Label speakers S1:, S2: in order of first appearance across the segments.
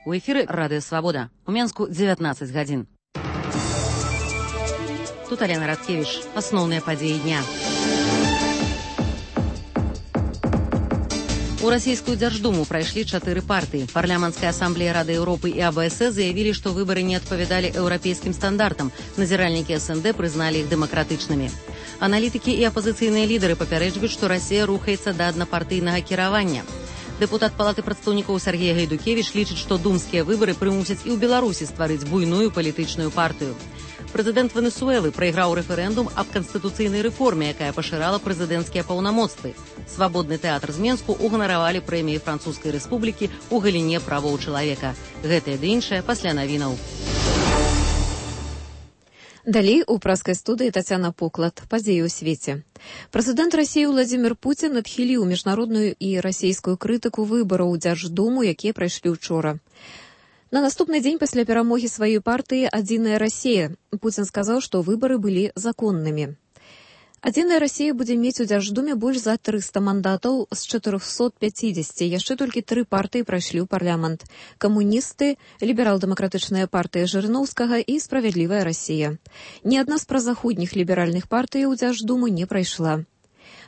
S1: У эфіры Радыё Свабода. У Менску 19 гадзін. Тут Алена Радкевич. Асноўныя падзеі дня. У расійскую Дзярждуму прайшлі 4 партыі. Парламенцкая ассамблея Рады Европы і АБС заявілі, што выбары не адпавядалі еўрапейскім стандартам. Назіральнікі СНД прызналі іх дэмакратычнымі. Аналітыкі і апазіцыйныя лідары папярэджваюць, што Расія рухаецца да аднапартыйнага кіравання. Дэпутат Палаты прадстаўнікоў Сергей Гайдукевіч лічыць, што думскія выбары прымусяць і ў Беларусі стварыць буйную палітычную партыю. Прэзідэнт Венесуэлы прайграў рэферэндум аб канстытуцыйнай рэформе, якая пашырала прэзідэнцкія паўнамоцтвы. Свабодны тэатр з Менску ўганаравалі прэміі Французскай рэспублікі ў галіне правоў чалавека. Гэтае ды іншае пасля навінаў.
S2: Далей у праскай студыі Тацяна Поклад. Падзеі ў свеце. Прэзідэнт Расіі Владзімір Пуцін адхіліў міжнародную і расійскую крытыку выбараў у Дзярждуму, якія прайшлі ўчора. На наступны дзень пасля перамогі сваёй партыі «Адзіная Расія» Пуцін сказаў, што выбары былі законнымі. «Адзіная Расія» будзе мець у Дзярждуме больш за 300 мандатаў з 450. Яшчэ толькі 3 партыі прайшлі ў парламент. Камуністы, ліберал-дэмакратычная партыя Жырыноўскага і «Справядлівая Расія». Ні адна з празаходніх ліберальных партый у Дзярждуму не прайшла.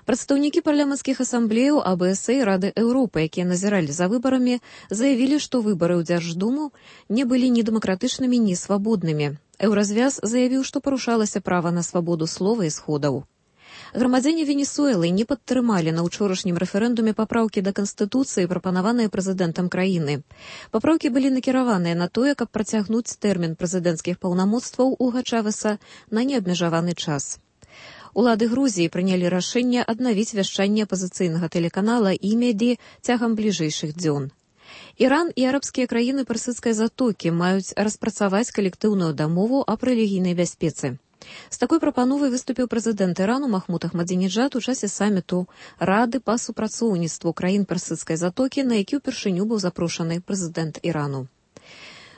S2: Прадстаўнікі парламенцкіх асамблеяў АБС і Рады Еўропы, якія назіралі за выбарамі, заявілі, што выбары ў Дзярждуму не былі ні дэмакратычнымі, ні свабоднымі. Еўразвяз заявіў, што парушалася права на свабоду слова і сходаў. Грамадзяне Венесуэлы не падтрымалі на ўчорашнім рэферэндуме папраўкі да Канстытуцыі, прапанаваныя прэзідэнтам краіны. Папраўкі былі накіраваныя на тое, каб працягнуць тэрмін прэзідэнцкіх паўнамоцтваў Уга Чавеса на неабмежаваны час. Улады Грузіі прынялі рашэнне аднавіць вяшчанне апазіцыйнага тэлеканала «Имеди» цягам бліжэйшых дзён. Іран і арабскія краіны Персідскай затокі маюць распрацаваць калектыўную дамову аб рэлігійнай бяспецы. З такой прапановай выступіў прэзідэнт Ірану Махмуд Ахмадзінеджад у часе саміту Рады па супрацоўніцтву краін Персідскай затокі, на які ўпершыню быў запрошаны прэзідэнт Ірану.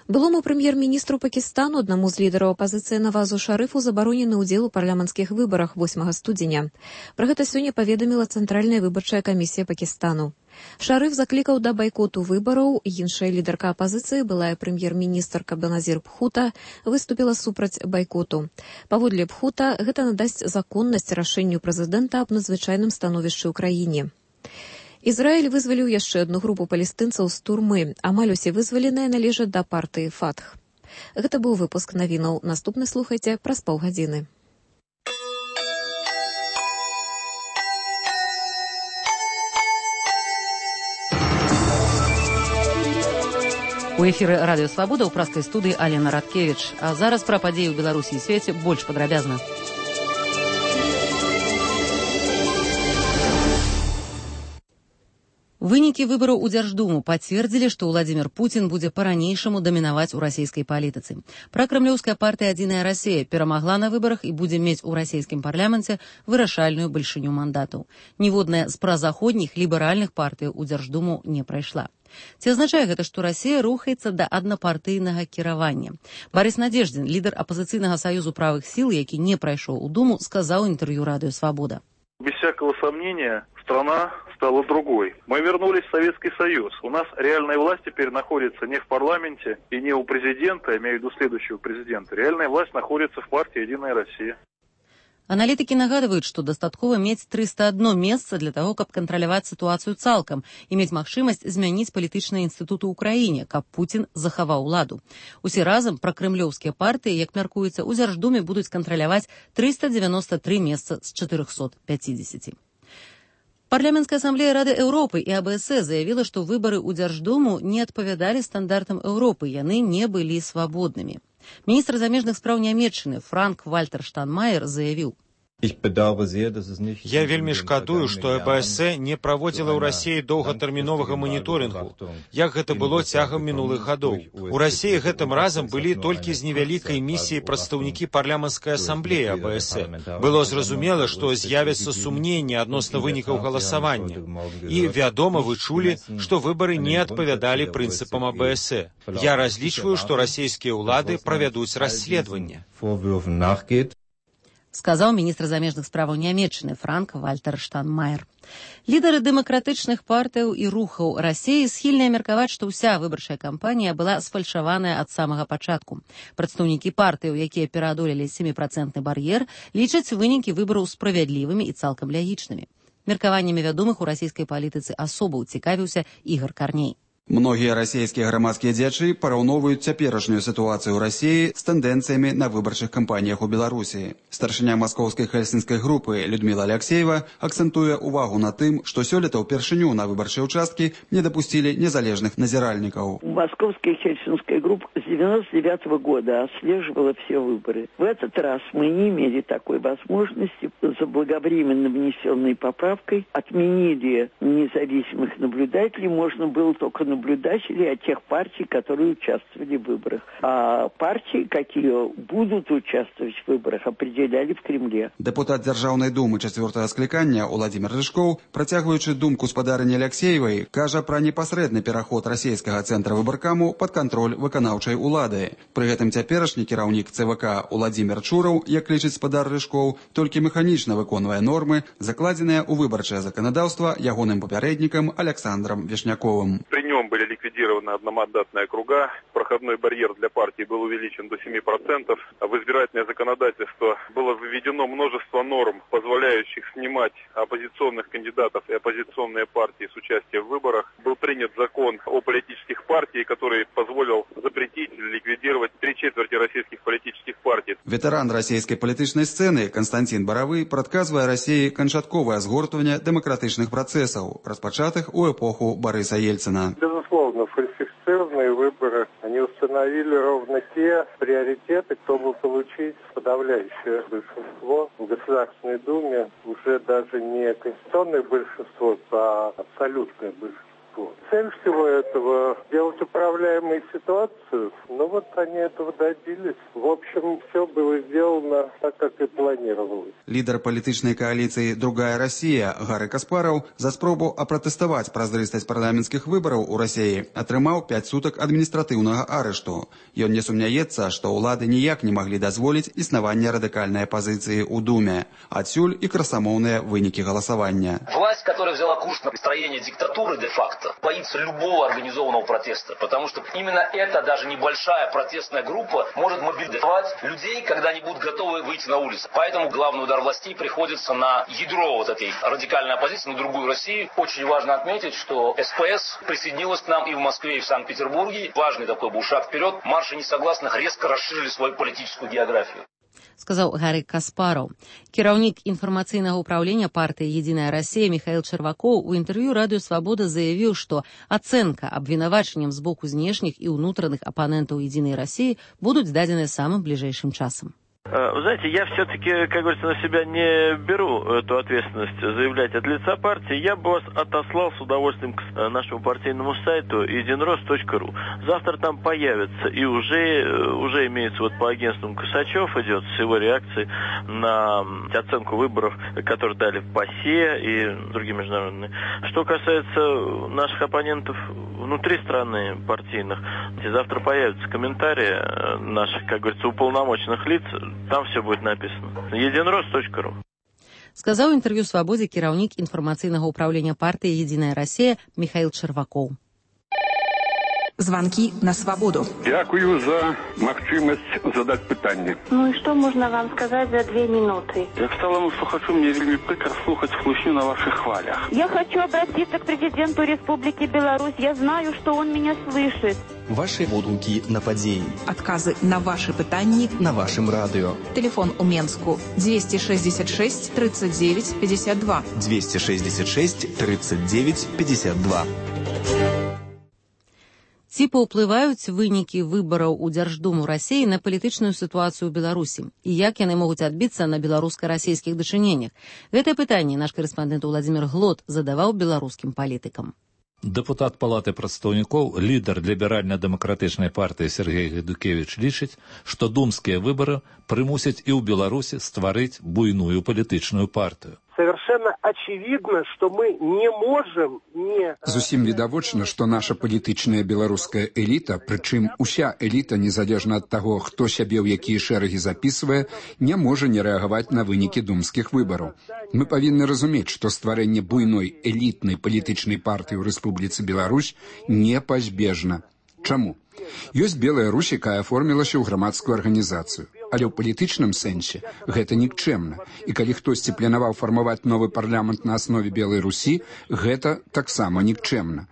S2: Былому прэм'ер-міністру Пакістану, аднаму з лідараў апазіцыі Навазу Шарыфу, забаронены ўдзел у парламенцкіх выбарах 8 студзеня. Пра гэта сёння паведаміла Цэнтральная выбарчая камісія Пакістану. Шарыф заклікаў да байкоту выбараў. Іншая лідарка апазіцыі, былая прэм'ер-міністрка Беназір Бхута, выступіла супраць байкоту. Паводле Бхута, гэта надасць законнасць рашэнню прэзідэнта аб надзвычайным становішчы ў краіне. Ізраіль вызваліў яшчэ адну групу палестынцаў з турмы. Амаль усе вызваленыя належаць да партыі Фатх. Гэта быў выпуск навінаў. Наступны слухайце праз паўгадзіны.
S1: У эфіры Радыё Свабода ў праскай студыі Алена Радкевич. А зараз пра падзеі ў Беларусі і свеце больш падрабязна. Вынікі выбараў у Дзярждуму пацвердзілі, што Владзімір Пуцін будзе па-ранейшаму дамінаваць у расійскай палітыцы. Пракрамлёўская партыя «Адзіная Расія» перамагла на выбарах і будзе мець у расійскім парламенце вырашальную бальшыню мандатаў. Ніводная з празаходніх ліберальных партый у Дзярждуму не прайшла. Ці азначае гэта, што Расія рухаецца да аднапартыйнага кіравання? Барыс Надзеждзін, лідар апазіцыйнага саюзу правых сіл, які не прайшоў у Думу, сказаў інтэрв'ю Радыё Свабода.
S3: Без всякого сомнения, страна стала другой. Мы вернулись в Советский Союз. У нас реальная власть теперь находится не в парламенте и не у президента, я имею в виду следующего президента. Реальная власть находится в партии «Единая Россия».
S1: Аналітыкі нагадваюць, што дастаткова мець 301 месца для таго, каб кантраляваць сітуацыю цалкам і мець магчымасць змяніць палітычныя інстытуты ў краіне, каб Пуцін захаваў уладу. Усе разам пракрэмлёўскія партыі, як мяркуецца, у Дзярждуме будуць кантраляваць 393 месца з 450. Парламенцкая ассамблея Рады Еўропы і АБС заявіла, што выбары ў Дзярждуму не адпавядалі стандартам Еўропы, яны не былі свабоднымі. Міністр замежных спраў Нямецчыны Франк-Вальтер Штайнмаер заявіў:
S4: Я вельмі шкадую, што АБС не праводзіла ў Расіі доўгатэрміновага маніторынгу, як гэта было цягам мінулых гадоў. У Расіі гэтым разам былі толькі з невялікай місіяй прадстаўнікі парламенцкай асамблеі АБС. Было зразумела, што з'явяцца сумненні адносна вынікаў галасавання. І, вядома, вы чулі, што выбары не адпавядалі прынцыпам АБС. Я разлічваю, што расійскія ўлады правядуць расследаванне.
S1: сказаў міністр замежных справаў Нямецчыны Франк-Вальтер Штайнмаер. Лідары дэмакратычных партыяў і рухаў Расіі схільныя меркаваць, што ўся выбарчая кампанія была сфальшаваная ад самага пачатку. Прадстаўнікі партыяў, якія пераадолелі 7% бар'ер, лічаць вынікі выбараў справядлівымі і цалкам лягічнымі. Меркаваннямі вядомых у расійскай палітыцы асобаў цікавіўся Ігор Карней.
S5: Многія расійскія грамадскія дзеячы параўноўваюць цяперашнюю сітуацыю ў Расіі з тэндэнцыямі на выбарчых кампаніях у Беларусі. Старшыня маскоўскай хельсінскай групы Людмила Алексеева акцэнтуе увагу на тым, што сёлета ўпершыню на выбарчыя ўчасткі не дапусцілі незалежных назіральнікаў.
S6: Московская хельсинская группа с 99 года отслеживала все выборы. В этот раз мы не имели такой возможности. Заблаговременно внесенной поправкой отменили независимых наблюдателей. Можно было только наблюдателей от тех партий, которые участвовали в выборах. А партии, какие будут участвовать в выборах, определяли в Кремле.
S5: Депутат Дзяржаўнай думы 4-го склікання Уладзімір Рыжкоў, працягваючы думку спадарыні Алексеевай, кажа пра непасрэдны пераход расійскага цэнтра выбаркаму пад кантроль выканаўчай улады. Пры гэтым цяперашні кіраўнік ЦВК Уладзімір Чураў, як лічыць спадар Рыжкоў, толькі механічна выконвае нормы, закладзеныя ў выбарчае заканадаўства ягоным папярэднікам Александром Вишняковым.
S3: При нем были ликвидированы одномандатные округа, проходной барьер для партии был увеличен до 7%, а в избирательное законодательство было введено множество норм, позволяющих снимать оппозиционных кандидатов и оппозиционные партии с участия в выборах. Был принят закон о политических партиях, который позволил запретить или ликвидировать 3/4 российских политических партий.
S5: Ветэран расійскай палітычнай сцэны Константин Боровы прадказвае Расіі канчатковае згортванне дэмакратычных працэсаў, распачатых у эпоху Бориса Ельцина.
S7: Безусловно, фальсифицированные выборы, они установили ровно те приоритеты, чтобы получить подавляющее большинство в Государственной Думе, уже даже не конституционное большинство, а абсолютное большинство. Цель всего этого – сделать управляемой ситуацию, но вот они этого добились. В общем, все было сделано так, как и планировалось.
S5: Лідар палітычнай кааліцыі «Другая Расія» Гары Каспараў за спробу апратэставаць празрыстасць парламенцкіх выбараў у Расіі атрымаў 5 сутак адміністратыўнага арышту. Ён не сумняецца, што ўлады ніяк не маглі дазволіць існаванне радыкальнай апазіцыі ў Думе. Адсюль і красамоўныя вынікі галасавання.
S8: Власть, которая взяла курс на построение диктатуры де-факто, боится любого организованного протеста, потому что именно эта даже небольшая протестная группа может мобилизовать людей, когда они будут готовы выйти на улицу. Поэтому главный удар властей приходится на ядро вот этой радикальной оппозиции, на другую Россию. Очень важно отметить, что СПС присоединилась к нам и в Москве, и в Санкт-Петербурге. Важный такой был шаг вперед. Марши несогласных резко расширили свою политическую географию.
S1: Сказаў Гары Каспараў. Кіраўнік інфармацыйнага ўправлення партыі «Единая Россия» Михаил Черваков у інтэрв'ю «Радио Свобода» заявіў, што ацэнка абвінавачаннем з боку знешніх і ўнутраных апанентаў «Единой России» будуць дадзены самым бліжэйшым часам.
S9: Вы знаете, я все-таки, как говорится, на себя не беру эту ответственность заявлять от лица партии. Я бы вас отослал с удовольствием к нашему партийному сайту единрос.ру. Завтра там появится и уже имеется вот по агентству Косачев идет с его реакцией на оценку выборов, которые дали в ПАСЕ и другие международные. Что касается наших оппонентов внутри страны партийных, завтра появятся комментарии наших, как говорится, уполномоченных лиц. Там все будет написано. единрос.ру.
S1: Сказаў інтэрв'ю «Свабодзе» кіраўнік інфармацыйнага ўправлення партыі «Единая Россия» Михаил Черваков.
S10: Звонки на свободу.
S11: Дякую за магчымасць задаць пытанне.
S12: Ну и что можно вам сказать за 2 минуты?
S11: Як сталому слухачу, мне вельмі прикро слухаць хлусню на ваших хвалях.
S12: Я хочу обратиться к президенту Республики Беларусь. Я знаю, что он меня слышит.
S13: Ваши водгукі на падзеі.
S10: Адказы на ваши пытанні
S13: на вашым радыё.
S10: Телефон у Менску 266 39 52.
S13: 266 39 52.
S1: Ці паўплываюць вынікі выбараў у Дзярждуму Расіі на палітычную сітуацыю ў Беларусі і як яны могуць адбіцца на беларуска-расійскіх дачыненнях? Гэтае пытанне наш карэспандэнт Уладзімір Глот задаваў беларускім палітыкам.
S14: Дэпутат Палаты прадстаўнікоў, лідар ліберальна-дэмакратычнай партыі Сергей Гайдукевіч лічыць, што думскія выбары прымусяць і ў Беларусі стварыць буйную палітычную партыю.
S15: совершенно очевидно, что мы не можем не...
S16: Зусім відавочна, што наша палітычная беларуская эліта, прычым уся эліта, незалежна ад таго, хто сябе ў якія шэрагі запісвае, не можа не рэагаваць на вынікі думскіх выбараў. Мы павінны разумець, што стварэнне буйной элітнай палітычнай партыі ў Рэспубліцы Беларусь непазбежна. Чаму? Ёсць Белая Русь, якая аформілася ў грамадскую арганізацыю. Але ў палітычным сэнсе гэта нікчэмна. І калі хтосьці планаваў фармаваць новы парламент на аснове Белай Русі, гэта таксама нікчэмна.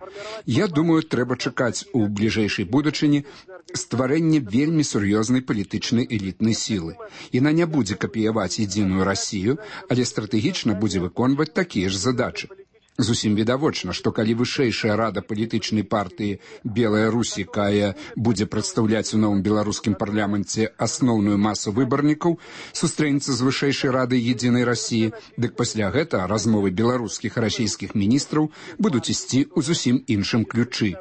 S16: Я думаю, трэба чакаць у бліжэйшай будучыні стварэнне вельмі сур'ёзнай палітычнай элітнай сілы. Яна не будзе капіяваць единую Расію, але стратэгічна будзе выконваць такія ж задачы. Зусім відавочна, што калі вышэйшая рада палітычнай партыі Белая Русь, якая будзе прадстаўляць у новым беларускім парламенце асноўную масу выбарнікаў, сустрэнецца з вышэйшай радай едзінай Расіі, дык пасля гэтага размовы беларускіх і расійскіх міністраў будуць ісці ў зусім іншым ключы.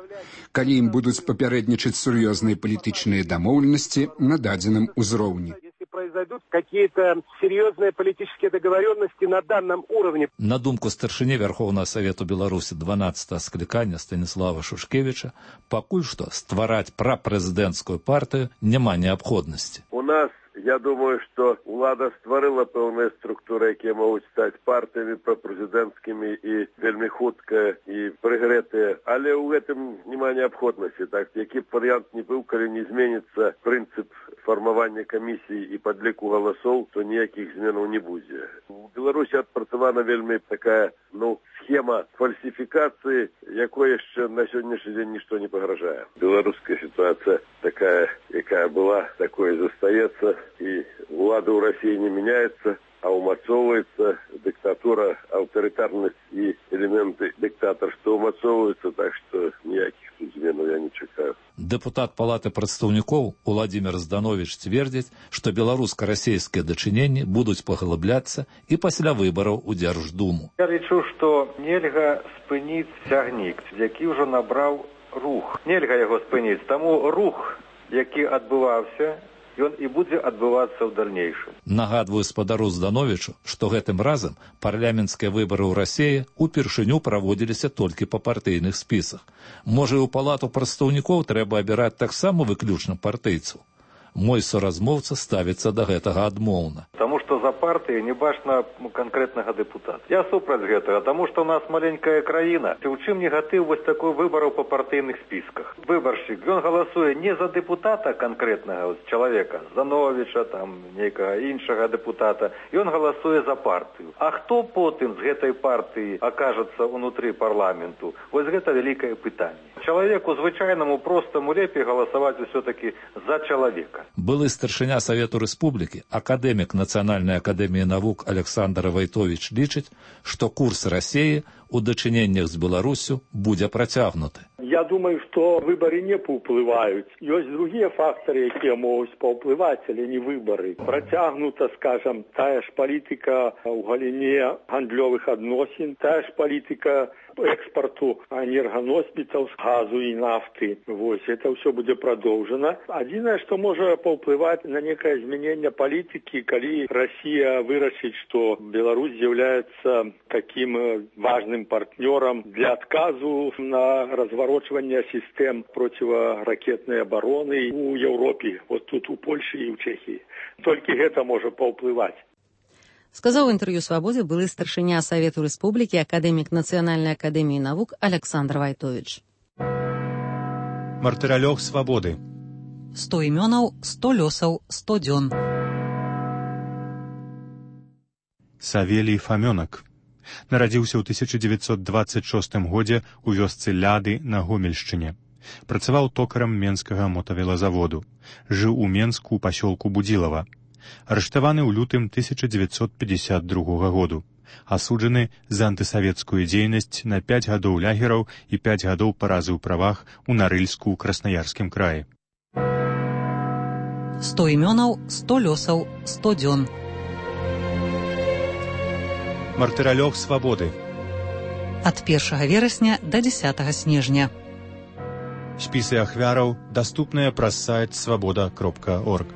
S16: Калі ім будуць папярэднічаць сур'ёзныя палітычныя дамоўленасці на дадзеным узроўні.
S15: Произойдут какие-то серьезные политические договоренности на данном уровне.
S14: На думку старшыні Вярхоўнага Савету Беларусі 12-го склікання Станіслава Шушкевіча, пакуль што ствараць прапрэзідэнцкую партыю няма неабходнасці.
S17: У нас, я думаю, что улада створила пэўныя структуры, якія могуць стаць партыямі прапрэзідэнцкімі і вельмі хутка і прыгрэтыя, але ў гэтым няма неабходнасці. Так, які б варыянт не быў, калі не зменіцца прынцып фармавання камісій і падліку галасоў, то ніякіх зменаў не будзе. У Беларусі адпрацавана вельмі такая, схема фальсификации, якой яшчэ на сённяшні дзень нічто не пагражае. Беларуская ситуация такая, якая была, такой и застаецца, и влада ў России не меняется, а умацоўваецца диктатура, аўтарытарнасць и элементы диктаторства умацоўваюцца, так что ніякіх тут зменаў я не чакаю.
S14: Депутат Палаты прадстаўнікоў Владимир Зданович цвердзіць, што беларуска-расійскія дачыненні будуць паглыбляцца і пасля выбараў у Дзярждуму.
S18: Я лічу, што нельга спыніць цягнік, які ўжо набраў рух. Нельга яго спыніць, таму рух, які адбываўся, ён і будзе адбывацца ў дальнейшым.
S14: Нагадваю спадару Здановичу, што гэтым разам парламенцкія выбары ў Расіі упершыню праводзіліся толькі па партыйных спісах. Можа, і ў палату прадстаўнікоў трэба абіраць таксама выключна партыйцаў. Мой соразмоўца ставіцца да гэтага адмоўна.
S18: Таму што за партыі не бачна канкрэтнага дэпутата. Я супраць гэтага, таму што ў нас маленькая краіна. У чым негатыў вось такой выбараў па партыйных спісках? Выбаршчык, ён галасуе не за дэпутата канкрэтнага чалавека, Здановича, нейкага іншага дэпутата, ён галасуе за партыю. А хто потым з гэтай партыі акажацца ўнутры парламенту? Вось гэта вялікае пытанне. Чалавеку звычайнаму простаму лепей галасаваць усё-такі за чалавека.
S14: Былы старшыня Савету Рэспублікі, акадэмік Нацыянальнай акадэміі навук Александр Вайтович лічыць, што курс Расіі у дачыненнях з Беларусю будзе працягнуты.
S19: Я думаю, што выбары не паўплываюць. Ёсць другія фактары, якія могуць паўплываць, але не выбары. Працягнута, скажам, тая ж палітыка ў галіне гандлёвых адносін, тая ж палітыка экспорту энерганосьбітаў з газу і нафты. Вось, это ўсё будзе прадоўжана. Адзінае, што можа паўплываць на некае змяненне палітыкі, калі Расія вырашыць, што Беларусь з'яўляецца такім важным партнёрам для адказу на разварочванне сістэм проціваракетнай абароны ў Еўропе, вот тут у Польшы і ў Чэхіі. Толькі гэта можа паўплываць.
S1: Сказаў у інтэрв'ю «Свабодзе» былы старшыня Савету Рэспублікі, акадэмік Нацыянальнай акадэміі навук Александр Вайтович.
S20: Мартыралёг свабоды.
S1: 100 імёнаў, 100 лёсаў, 100 дзён.
S20: Савелій Фамёнак. Нарадзіўся ў 1926 годзе ў вёсцы Ляды на Гомельшчыне. Працаваў токарам Менскага мотавелазаводу. Жыў у Менску ў пасёлку Будзілава. Арыштаваны ў лютым 1952 году. Асуджаны за антысавецкую дзейнасць на 5 гадоў лагераў і 5 гадоў паразы ў правах у Нарыльску ў Краснаярскім краі.
S1: 100 імёнаў, 100 лёсаў, 100 дзён.
S20: Мартыралёг свабоды.
S1: Ад 1 верасня да 10 снежня.
S20: Спісы ахвяраў даступныя праз сайт свабода.орг.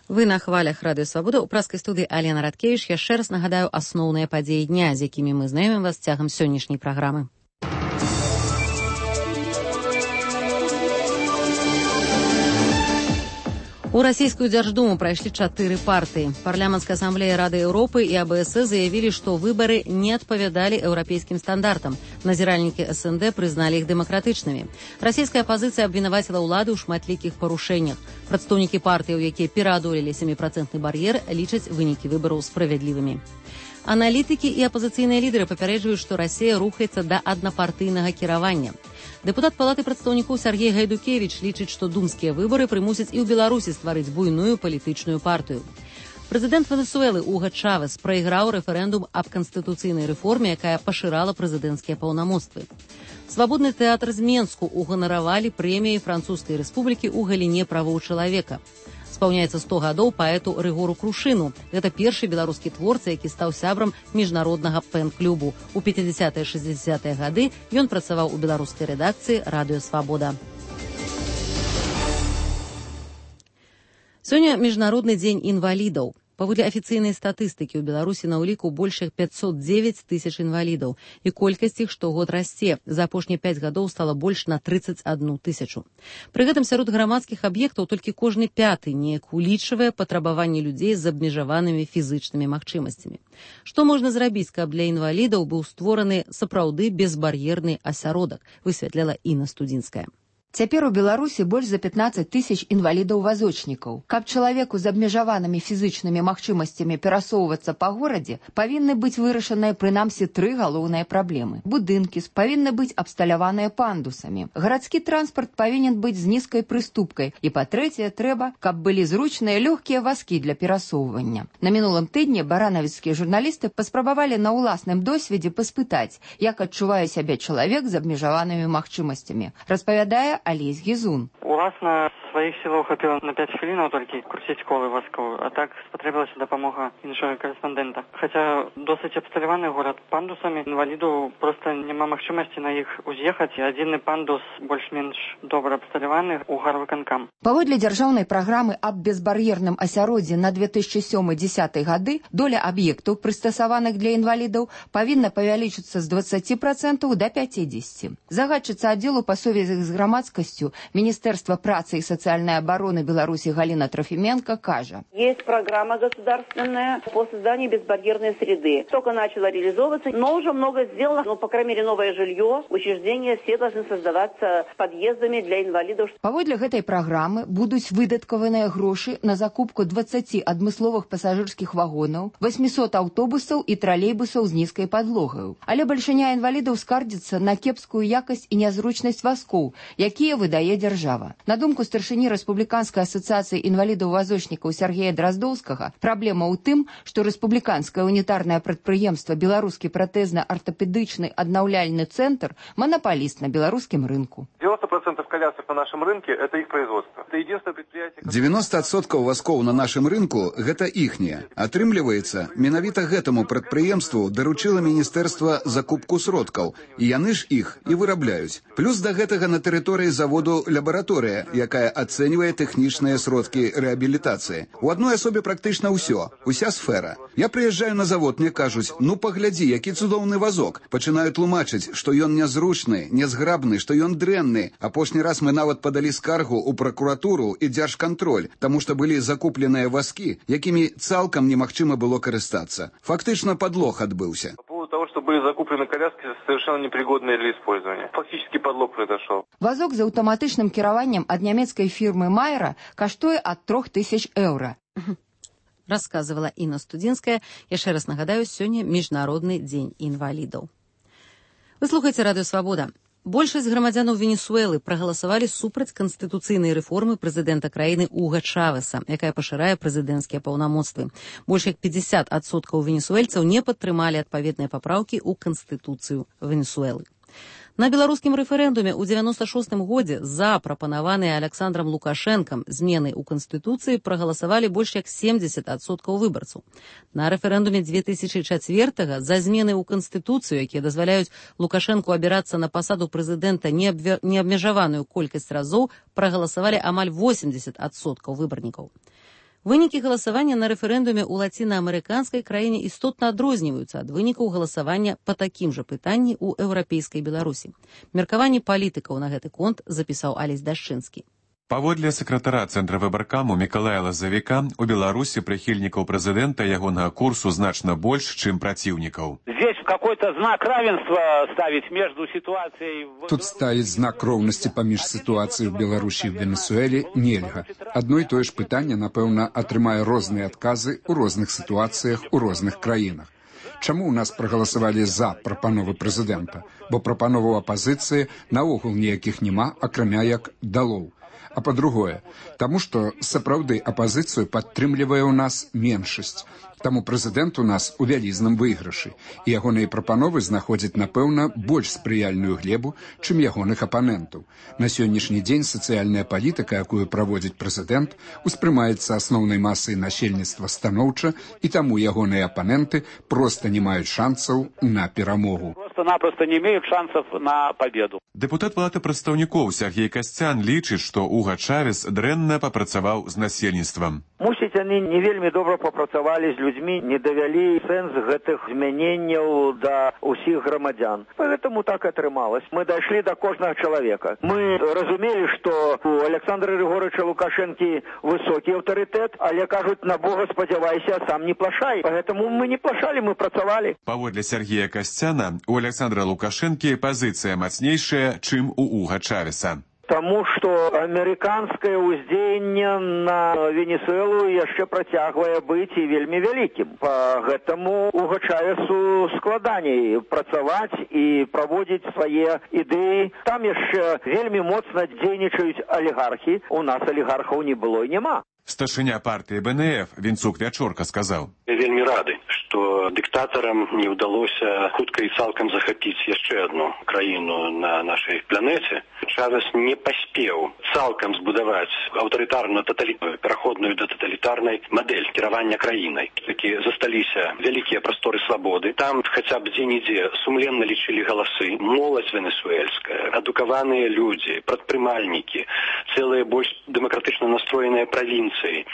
S1: Вы на хвалях Радыё Свабода. У праскай студыі Алена Радкевіч. Яшчэ раз нагадаю асноўныя падзеі дня, з якімі мы знаёмім вас цягам сённяшняй праграмы. У расійскую Дзярждуму прайшлі 4 партыі. Парламенцкая асамблея Рады Еўропы і АБС заявілі, што выбары не адпавядалі еўрапейскім стандартам. Назіральнікі СНД прызналі іх дэмакратычнымі. Расійская апазіцыя абвінаваціла ўлады ў шматлікіх парушэннях. Прадстаўнікі партыяў, якія пераадолелі 7% бар'ер, лічаць вынікі выбараў справядлівымі. Аналітыкі і апазіцыйныя лідары папярэджваюць, што Расія рухаецца да аднапартыйнага кіравання. Дэпутат Палаты прадстаўнікоў Сергей Гайдукевіч лічыць, што думскія выбары прымусяць і ў Беларусі стварыць буйную палітычную партыю. Прэзідэнт Венесуэлы Уга Чавес прайграў рэферэндум аб канстытуцыйнай рэформе, якая пашырала прэзідэнцкія паўнамоцтвы. Свабодны тэатр з Менску уганаравалі прэміяй Французскай рэспублікі ў галіне правоў чалавека. Спаўняецца 100 гадоў паэту Рыгору Крушыну. Гэта першы беларускі творца, які стаў сябрам міжнароднага пэн-клубу. У 50-60-е гады ён працаваў у беларускай рэдакцыі Радыё Свабода. Сёння міжнародны дзень інвалідаў. Паводле афіцыйнай статыстыкі ў Беларусі на ўліку больш як 509 тысяч інвалідаў, і колькасць іх штогод расце. За апошнія 5 гадоў стала больш на 31 тысячу. Пры гэтым сярод грамадскіх аб'ектаў толькі кожны 5-ы неяк улічвае патрабаванні людзей з абмежаванымі фізычнымі магчымасцямі. Што можна зрабіць, каб для інвалідаў быў створаны сапраўды безбар'ерны асяродак, высвятляла Інна Студзінская.
S21: Цяпер у Беларусі больш за 15 тысяч інвалідаў-вазочнікаў. Каб чалавеку з абмежаванымі фізычнымі магчымасцямі перасоўвацца па горадзе, павінны быць вырашаныя прынамсі 3 галоўныя праблемы. Будынкі павінны быць абсталяваныя пандусамі. Гарадскі транспарт павінен быць з нізкай прыступкай. І, па-трэцяе, трэба, каб былі зручныя лёгкія вазкі для перасоўвання. На мінулым тыдні баранавіцкія журналісты паспрабавалі на ўласным досведзе паспытаць, як адчувае сябе чалавек з абмежаванымі магчымасцямі. Распавядае Олесь Гізун.
S22: Уласна, сваіх сілаў хапіла на 5 хвілінаў толькі круціць колы вазковую, а так спатрэбілася дапамога іншага корэспандэнта. Хаця досыць абсталяваны горад пандусамі, інваліду проста няма магчымасці на іх уз'ехаць, і адзіны пандус больш-менш добра абсталяваны ў гарвыканкам.
S21: Паводле дзяржаўнай праграмы аб безбар'ерным асяроддзі на 2007-2010 гады доля аб'ектаў, прыстасаваных для інвалідаў, павінна павялічыцца з 20% до 50%. Загадчыца аддзелу па сувязях з грамадскасцю Министерства працы и социальной обороны Беларуси Галина Трофименко кажа.
S12: Есть программа государственная по созданию безбарьерной среды. Только начала реализовываться, но уже много сделано. Ну, по крайней мере, новое жилье, учреждения все должны создаваться подъездами для инвалидов.
S21: Паводле гэтай праграмы будуць выдаткаваныя грошы на закупку 20 адмысловых пасажырскіх вагонаў, 800 аўтобусаў і тралейбусаў з нізкай падлогаю. Але бальшыня інвалідаў скардзіцца на кепскую якасць і нязручнасць вазкоў, якія выдае дзяржава. На думку старшыні Рэспубліканскай асацыяцыі інвалідаў-вазочнікаў Сергея Драздоўскага, праблема ў тым, што рэспубліканскае унітарнае прадпрыемства «Беларускі пратэзна-артапедычны аднаўляльны цэнтр» манапаліст на беларускім рынку.
S23: 90% колясок на нашем рынке – это их производство. Это единственное предприятие...
S24: 90% вазкоў на нашым рынку – гэта іхнія. Атрымліваецца, менавіта гэтаму прадпрыемству даручыла міністэрства закупку сродкаў, і яны ж іх і вырабляюць. Плюс да гэтага на тэрыторыі заводу лабараторыя, якая ацэньвае тэхнічныя сродкі рэабілітацыі. У адной асобе практычна ўсё, уся сфера. Я прыязджаю на завод, мне кажуць, ну паглядзі, які цудоўны вазок. Пачынаю тлумачыць, што ён нязручны, нязграбны, што ён дрэнны. Апошні раз мы нават падалі скаргу ў пракуратуру і дзяржкантроль, таму што былі закупленыя вазкі, якімі цалкам немагчыма было карыстацца. Фактычна падлог адбыўся.
S23: По поводу того, что были закуплены коляски совершенно непригодные для использования. Фактически подлог произошел.
S21: Вазок з аўтаматычным кіраваннем ад нямецкай фірмы Майера каштуе ад 3000 еўра.
S1: Расказывала Інна Студзінская. Яшчэ раз нагадаю, сёння міжнародны дзень інвалідаў. Вы слухаеце Радыё Свабода. Большасць грамадзянаў Венесуэлы прагаласавалі супраць канстытуцыйнай рэформы прэзідэнта краіны Уга Чавеса, якая пашырае прэзідэнцкія паўнамоцтвы. Больш як 50% венесуэльцаў не падтрымалі адпаведныя папраўкі ў канстытуцыю Венесуэлы. На беларускім рэферэндуме ў 96-м годзе за прапанаваныя Александрам Лукашэнкам змены ў Канстытуцыі прагаласавалі больш як 70% выбарцаў. На рэферэндуме 2004-го за змены ў Канстытуцыю, якія дазваляюць Лукашэнку абірацца на пасаду прэзідэнта неабмежаваную колькасць разоў, прагаласавалі амаль 80% выбарнікаў. Вынікі галасавання на рэферэндуме ў лацінаамерыканскай краіне істотна адрозніваюцца ад вынікаў галасавання па такім жа пытанні ў еўрапейскай Беларусі. Меркаванні палітыкаў на гэты конт запісаў Алесь Дашчынскі.
S2: Паводле сакратара Цэнтра выбаркаму Мікалая Лазавіка, у Беларусі прыхільнікаў прэзідэнта ягонага курсу значна больш, чым праціўнікаў.
S3: Здесь какой-то знак равенства ставить между ситуацией...
S16: Тут ставить знак роўнасці паміж сітуацыяй у Беларусі і ў Венесуэле нельга. Адно і тое ж пытанне, напэўна, атрымае розныя адказы ў розных сітуацыях у розных краінах. Чаму ў нас прагаласавалі за прапановы прэзідэнта? Бо прапановаў апазіцыі наогул ніякіх няма, акрамя як далоў. А па-другое, таму што сапраўды апазіцыю падтрымлівае ў нас меншасць. Таму прэзідэнт у нас у вялізным выйгрышы, і ягоныя прапановы знаходзяць, напэўна, больш спрыяльную глебу, чым ягоных апанентаў. На сённяшні дзень сацыяльная палітыка, якую праводзіць прэзідэнт, успрымаецца асноўнай масай насельніцтва станоўча, і таму ягоныя апаненты проста не маюць шансаў на перамогу.
S3: Просто-напросто не имеют шансов на победу.
S2: Дэпутат Палаты прадстаўнікоў Сергей Касцян лічыць, што Уга Чавес дрэнна папрацаваў з насельніцтвам.
S3: Мусіць, они не вельмі добра папрацавалі з людзьмі, не давялі сэнс гэтых змяненняў да ўсіх грамадзян. Поэтому так атрымалось. Мы дайшлі да кожнага чалавека. Мы разумелі, што у Александра Григорьевича Лукашэнкі высокі аўтарытэт, але кажуць, на Бога спадзявайся, сам не плашай. Поэтому мы не плашалі, мы працавалі.
S2: Паводле Сергея Касцяна, у Александра Лукашэнкі пазіцыя мацнейшая, чым у Уга Чавеса.
S3: Тому што амерыканскае ўздзеянне на Венесуэлу яшчэ працягвае быць і вельмі вялікім. Па гэтаму Уга Чавесу складаней працаваць і праводзіць свае ідэі. Там яшчэ вельмі моцна дзейнічаюць алігархі. У нас алігархаў не было і няма.
S2: Старшыня партыі БНФ Вінцук Вячорка сказаў:
S4: «Вельмі рады, што дыктатарам не ўдалося хутка і цалкам захапіць яшчэ адну краіну на нашай планеце. Чавес не паспеў цалкам збудаваць аўтарытарную пераходную да таталітарнай мадэль кіравання краінай. Такі засталіся вялікія прасторы свабоды. Там хаця б дзе-нідзе сумленна лічылі галасы. Моладзь венесуэльская, адукаваныя людзі, прадпрымальнікі, цэлыя больш дэмакратычна настроеныя правінцыі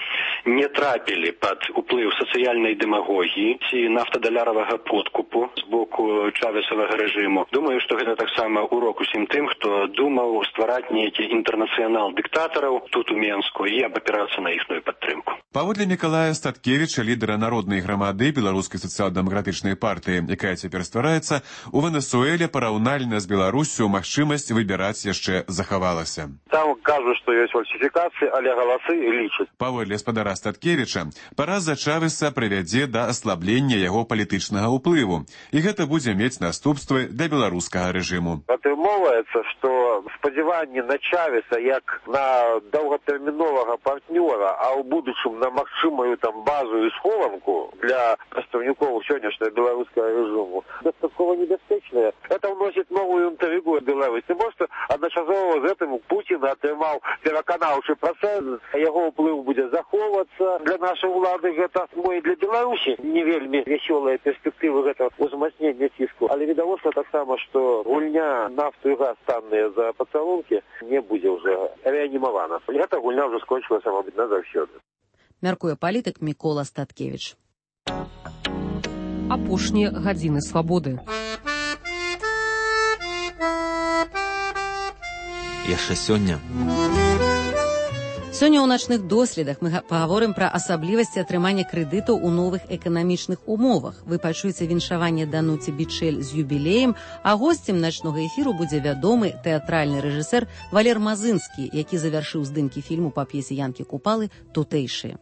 S4: не трапілі пад уплыў сацыяльнай дэмагогіі ці нафтадаляравага подкупу з боку чавесавага рэжыму. Думаю, што гэта таксама урок усім тым, хто думаў ствараць нейкі інтэрнацыянал дыктатараў тут у Менску і абапірацца на іхную падтрымку.
S2: Паводле Мікалая Статкевіча, лідара народнай грамады Беларускай сацыял-дэмакратычнай партыі, якая цяпер ствараецца, у Венесуэле параўнальна з Беларуссю магчымасць выбіраць яшчэ захавалася.
S3: Там кажуць, што ёсць фальсіфікацыі, але галасы лічаць.
S2: Паводле гаспадара Статкевіча, параза Чавеса прывядзе да аслаблення яго палітычнага ўплыву, і гэта будзе мець наступствы для беларускага рэжыму.
S3: Атрымоўваецца, што спадзяванні на Чавеса як на доўгатэрміновага партнёра, а ў будучым на магчымую там базу і схованку для прадстаўнікоў сённяшняга беларускага рэжыму дастаткова небяспечная. Это ўносіць новую інтрыгу Беларусі. Можа, адначасова з гэтым Пуцін атрымаў пераканаўчы працэс, яго ўплыў будзе захоўвацца. Для нашай улады гэта і для Беларусі не вельмі вясёлыя перспектывы гэтага узмацнення ціску. Але відавочна таксама, што гульня нафту і газ танныя за пацалункі не будзе ўжо рэанімавана. Гэта гульня ўжо скончылася, мабыць, назаўсёды.
S1: Мяркуе палітык Мікола Статкевіч.
S6: Апошнія гадзіны свабоды.
S13: Яшчэ сёння.
S1: Сёння ў начных доследах мы пагаворым пра асаблівасці атрымання крэдытаў у новых эканамічных умовах. Вы пачуеце віншаванне Дануці Бічэль з юбілеем, а госцем начнога эфіру будзе вядомы тэатральны рэжысэр Валер Мазынскі, які завяршыў здымкі фільму па п'есе Янкі Купалы «Тутэйшыя».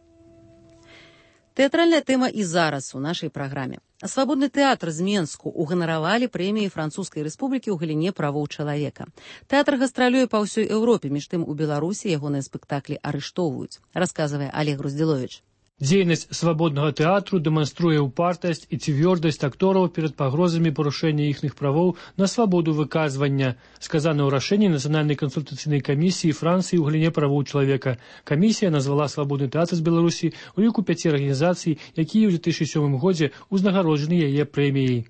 S1: Тэатральная тэма і зараз у нашай праграме. Свабодны тэатр з Менску уганаравалі прэміі Французскай рэспублікі ў галіне правоў чалавека. Тэатр гастралюе па ўсёй Еўропе, між тым у Беларусі ягоныя спектаклі арыштоўваюць, расказвае Олег Груздзіловіч.
S6: Дзейнасць свабоднага тэатру дэманструе ўпартасць і цвёрдасць актораў перад пагрозамі парушэння іхных правоў на свабоду выказвання, сказана ў рашэнні Нацыянальнай кансультацыйнай камісіі Францыі ў галіне правоў чалавека. Камісія назвала свабодны тэатр з Беларусі ў ліку 5 арганізацый, якія ў 2007 годзе ўзнагароджаны яе прэміяй.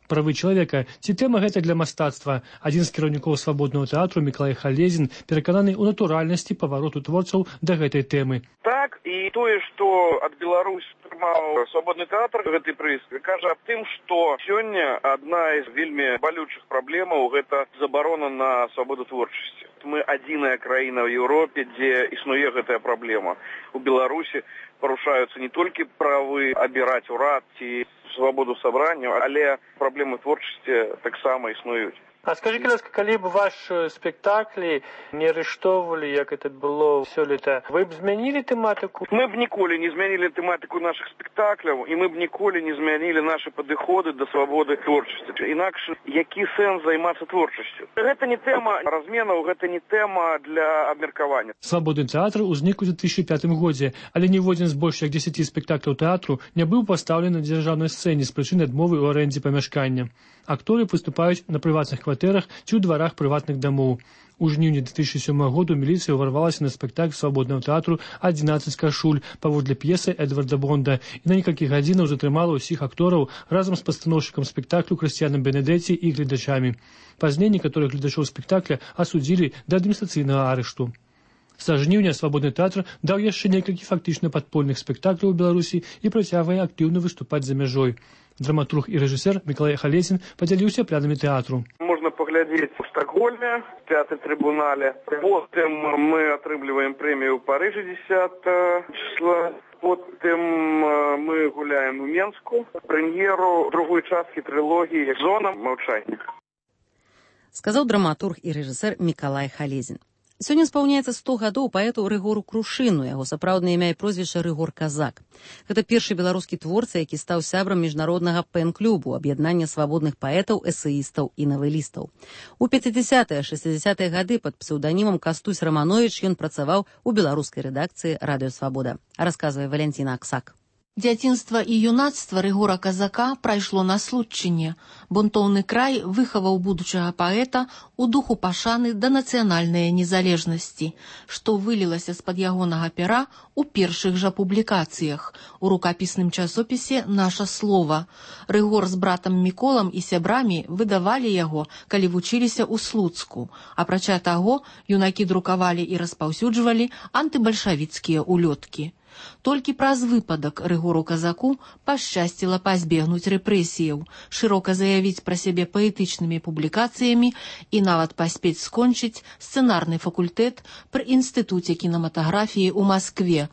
S6: правы чалавека, ці тэма гэта для мастацтва. Адзін з кіраўнікоў свабоднага тэатру Мікалай Халезін перакананы ў натуральнасці павароту творцаў да гэтай тэмы.
S23: Так, і тое, што ад Беларусь атрымаў свабодны тэатр, гэты прыз, кажа аб тым, што сёння адна з вельмі балючых праблемаў гэта забарона на свабоду творчасці. Мы адзіная краіна ў Еўропе, дзе існуе гэтая праблема. У Беларусі парушаюцца не толькі правы абіраць урад ці свабоду сабрання, але праблемы творчасці таксама існуюць.
S6: А скажи, ласка, калі б ваш спектаклі не арыштоўвалі, як это было сёлета, вы б змянілі тэматыку?
S23: Мы б ніколі не змянілі тэматыку нашых спектакляў, і мы б ніколі не змянілі нашы падыходы да свабоды творчасці. Інакш, які сэнс займацца творчасцю? Гэта не тэма разменаў, гэта не тэма для абмеркавання.
S6: Свабодны тэатр узнік у 2005 годзе, але ніводзін з больш як 10 спектакляў тэатру не быў пастаўлены на дзяржаўнай сцэне з прычыны адмовы ў арэндзе памяшкання. Акторы выступаюць на прыватных кватэрах ці ў дварах прыватных дамоў. У жніўні 2007 году міліцыя ўварвалася на спектакль свабоднага тэатру «11 кашуль» паводле п'есы Эдварда Бонда і на некалькі гадзінаў затрымала ўсіх актораў разам з пастаноўшчыкам спектаклю Крысціянам Бенедэці і гледачамі. Пазней некаторых гледачоў спектакля асудзілі да адміністрацыйнага арышту. Са жніўня свабодны тэатр даў яшчэ некалькі фактычна падпольных спектакляў у Беларусі і працягвае актыўна выступаць за мяжой. Драматург і рэжысер Мікалай Халезін падзяліўся планамі тэатру.
S23: Можна паглядзець у Стокгольме, в тэатры Трибунале. Потым мы атрымліваем прэмію ў Парыжы 10 числа. Потым мы гуляем у Менску. Прэм'еру другой часткі трылогіі «Зона маўчання».
S1: Сказаў драматург і рэжысер Мікалай Халезін. Сёння спаўняецца 100 гадоў паэту Рыгору Крушыну, яго сапраўднае імя і прозвішча Рыгор Казак. Гэта першы беларускі творца, які стаў сябрам міжнароднага пэн-клубу, аб'яднання свабодных паэтаў, эсэістаў і навелістаў. У 50-60-е гады пад псеўданімам Кастусь Раманович ён працаваў у беларускай рэдакцыі «Радыё Свабода». Расказвае Валянціна Аксак.
S5: Дзяцінства і юнацтва Рыгора Казака прайшло на Случчыне. Бунтоўны край выхаваў будучага паэта ў духу пашаны да нацыянальнай незалежнасці, што вылілася з-пад ягонага пера ў першых жа публікацыях. У рукапісным часопісе «Наша слова». Рыгор з братам Міколам і сябрамі выдавалі яго, калі вучыліся ў Слуцку. Апрача таго, юнакі друкавалі і распаўсюджвалі антыбальшавіцкія улёткі. Толькі праз выпадак Рыгору Казаку пашчасціла пазбегнуць рэпрэсіяў, шырока заявіць пра сябе паэтычнымі публікацыямі і нават паспець скончыць сцэнарны факультэт пры інстытуце кінематаграфіі ў Маскве.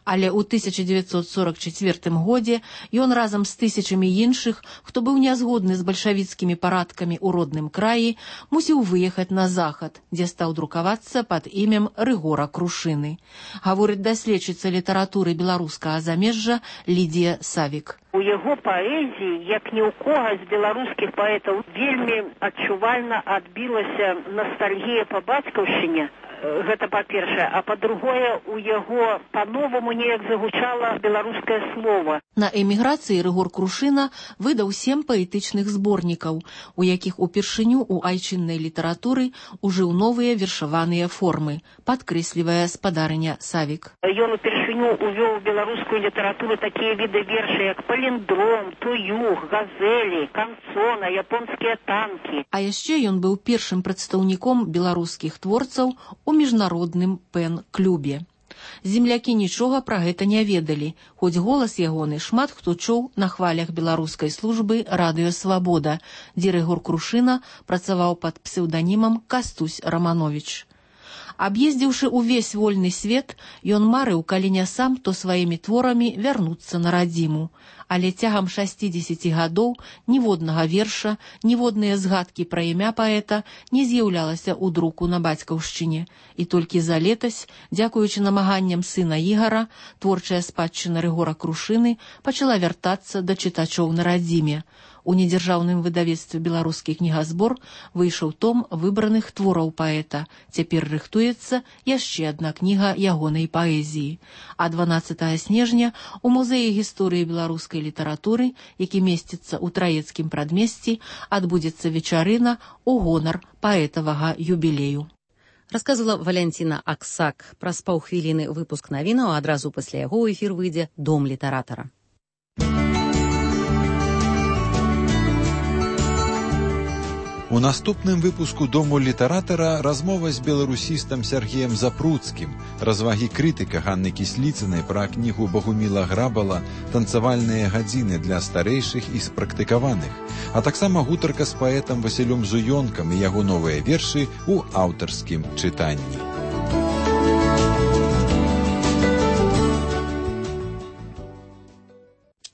S5: Але ў 1944 годзе ён разам з тысячамі іншых, хто быў нязгодны з бальшавіцкімі парадкамі ў родным краі, мусіў выехаць на захад, дзе стаў друкавацца пад імем Рыгора Крушыны. Гаворыць даследчыца літаратуры беларускага замежжа Лідія Савік.
S7: У яго паэзіі, як ні ў кога з беларускіх паэтаў, вельмі адчувальна адбілася настальгія па бацькаўшчыне. Гэта па-першае, а па-другое, у яго па-новаму неяк загучала беларускае слова.
S5: На эміграцыі Рыгор Крушына выдаў 7 паэтычных зборнікаў, у якіх упершыню ў айчыннай літаратуры ужыў новыя вершаваныя формы, падкрэслівае спадарыня Савік.
S7: Ён упершыню увёў у беларускую літаратуру такія віды верша, як паліндром, туюг, газелі, канцона, японскія танкі.
S5: А яшчэ ён быў першым прадстаўніком беларускіх творцаў у міжнародным пэн-клубе. Землякі нічога пра гэта не ведалі, хоць голас ягоны шмат хто чуў на хвалях беларускай службы «Радыё Свабода», дзе Рыгор Крушына працаваў пад псеўданімам Кастусь Раманович. Аб'ездзіўшы ўвесь вольны свет, ён марыў, калі не сам, то сваімі творамі вярнуцца на радзіму. Але цягам 60 гадоў ніводнага верша, ніводныя згадкі пра імя паэта не з'яўлялася ў друку на бацькаўшчыне. І толькі за летась, дзякуючы намаганням сына Ігара, творчая спадчына Рыгора Крушыны пачала вяртацца да чытачоў на радзіме. У недзяржаўным выдавецтве «Беларускі кнігазбор» выйшаў том выбраных твораў паэта. Цяпер рыхтуецца яшчэ адна кніга ягонай паэзіі. А 12 снежня у музеі гісторыі беларускай літаратуры, які месціцца ў Траецкім прадмесці, адбудзецца вечарына ў гонар паэтавага юбілею.
S1: Расказвала Валянціна Аксак. Праз паўхвіліны выпуск навінаў, а адразу пасля яго ў эфір выйдзе «Дом літаратара».
S8: У наступным выпуску «Дому літаратара» размова з беларусістам Сергеем Запруцкім, развагі крытыка Ганны Кісліцынай пра кнігу Богуміла Грабала «Танцавальныя гадзіны для старэйшых і спрактыкаваных», а таксама гутарка з паэтам Васілём Зуёнкам і яго новыя вершы ў аўтарскім чытанні.